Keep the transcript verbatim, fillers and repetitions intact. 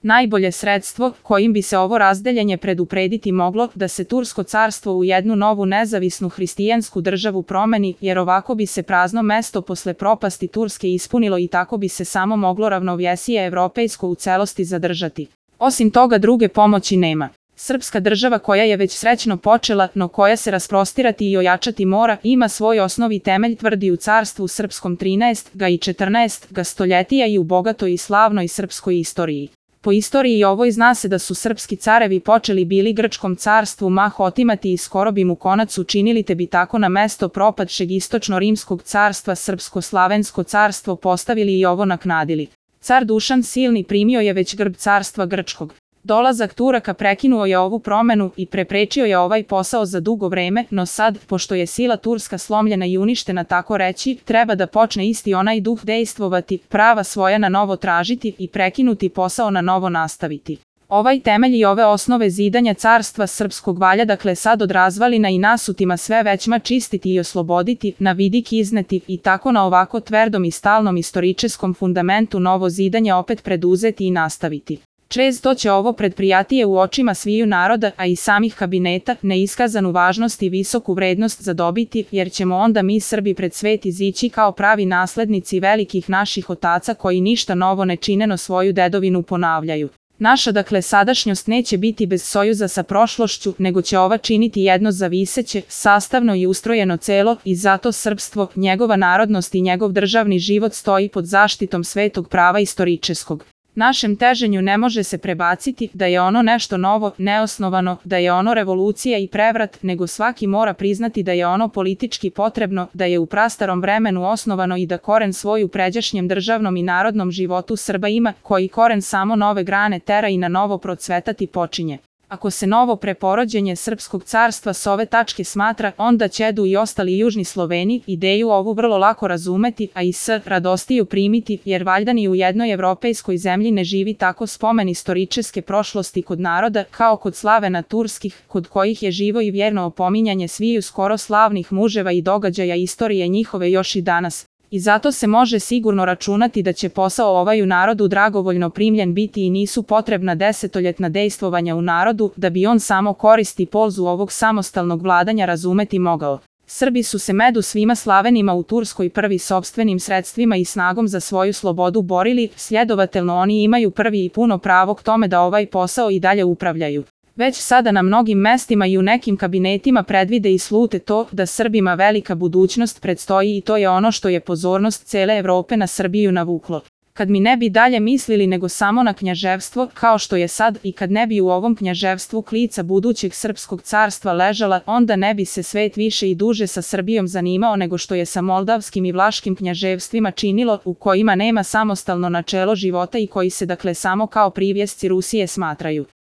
Najbolje sredstvo kojim bi se ovo razdeljenje preduprediti moglo da se Tursko carstvo u jednu novu nezavisnu hristijansku državu promeni, jer ovako bi se prazno mesto posle propasti Turske ispunilo i tako bi se samo moglo ravnovjesije evropejsko u celosti zadržati. Osim toga druge pomoći nema. Srpska država koja je već srećno počela, no koja se rasprostirati i ojačati mora, ima svoj osnovi temelj tvrdi u carstvu srpskom trinaest ga i četrnaest ga stoljetija i u bogatoj i slavnoj srpskoj istoriji. Po istoriji ovoj zna se da su srpski carevi počeli bili Grčkom carstvu mah otimati i skoro bi mu konac učinili, te bi tako na mesto propadšeg istočno-rimskog carstva Srpsko-slavensko carstvo postavili i ovo naknadili. Car Dušan Silni primio je već grb carstva Grčkog. Dolazak Turaka prekinuo je ovu promenu i preprečio je ovaj posao za dugo vreme, no sad, pošto je sila Turska slomljena i uništena tako reći, treba da počne isti onaj duh dejstvovati, prava svoja na novo tražiti i prekinuti posao na novo nastaviti. Ovaj temelj i ove osnove zidanja carstva srpskog valja dakle sad od razvalina i nasutima sve većma čistiti i osloboditi, na vidik izneti i tako na ovako tverdom i stalnom istoričeskom fundamentu novo zidanje opet preduzeti i nastaviti. Često će ovo predprijatije u očima sviju naroda, a i samih kabineta, neiskazanu važnost i visoku vrednost zadobiti, jer ćemo onda mi Srbi pred svet izići kao pravi naslednici velikih naših otaca koji ništa novo ne čineno svoju dedovinu ponavljaju. Naša dakle sadašnjost neće biti bez sojuza sa prošlošću, nego će ova činiti jedno zaviseće, sastavno i ustrojeno celo i zato srpstvo, njegova narodnost i njegov državni život stoji pod zaštitom svetog prava istoričeskog. Našem teženju ne može se prebaciti da je ono nešto novo, neosnovano, da je ono revolucija i prevrat, nego svaki mora priznati da je ono politički potrebno, da je u prastarom vremenu osnovano i da koren svoj u pređašnjem državnom i narodnom životu Srba ima, koji koren samo nove grane tera i na novo procvetati počinje. Ako se novo preporođenje Srpskog carstva s ove tačke smatra, onda ćedu i ostali južni Sloveni ideju ovu vrlo lako razumeti, a i s radostiju primiti, jer valjda ni u jednoj evropejskoj zemlji ne živi tako spomen istoričeske prošlosti kod naroda, kao kod Slavena turskih, kod kojih je živo i vjerno opominjanje sviju skoro slavnih muževa i događaja istorije njihove još i danas. I zato se može sigurno računati da će posao ovaj u narodu dragovoljno primljen biti i nisu potrebna desetoljetna dejstvovanja u narodu, da bi on samo koristi polzu ovog samostalnog vladanja razumeti mogao. Srbi su se među svima Slavenima u Turskoj prvi sopstvenim sredstvima i snagom za svoju slobodu borili, sljedovatelno oni imaju prvi i puno pravo k tome da ovaj posao i dalje upravljaju. Već sada na mnogim mestima i u nekim kabinetima predvide i slute to da Srbima velika budućnost predstoji i to je ono što je pozornost cele Evrope na Srbiju navuklo. Kad mi ne bi dalje mislili nego samo na knjaževstvo, kao što je sad, i kad ne bi u ovom knjaževstvu klica budućeg srpskog carstva ležala, onda ne bi se svet više i duže sa Srbijom zanimao nego što je sa moldavskim i vlaškim knjaževstvima činilo, u kojima nema samostalno načelo života i koji se dakle samo kao privjesci Rusije smatraju.